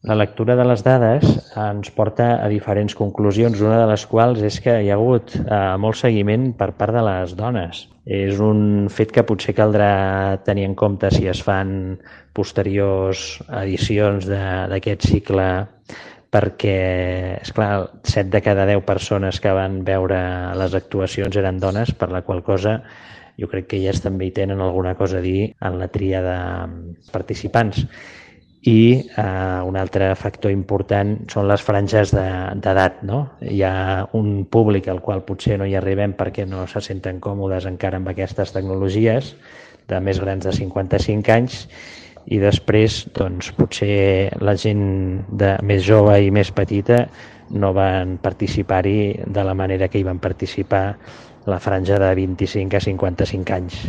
La lectura de les dades ens porta a diferents conclusions, una de les quals és que hi ha hagut molt seguiment per part de les dones. És un fet que potser caldrà tenir en compte si es fan posteriors edicions d'aquest cicle, perquè, esclar, 7 de cada 10 persones que van veure les actuacions eren dones, per la qual cosa jo crec que elles també hi tenen alguna cosa a dir en la tria de participants. I un altre factor important són les franges d'edat, no? Hi ha un públic al qual potser no hi arribem perquè no se senten còmodes encara amb aquestes tecnologies, de més grans de 55 anys, i després doncs, potser la gent més jove i més petita no van participar-hi de la manera que hi van participar la franja de 25 a 55 anys.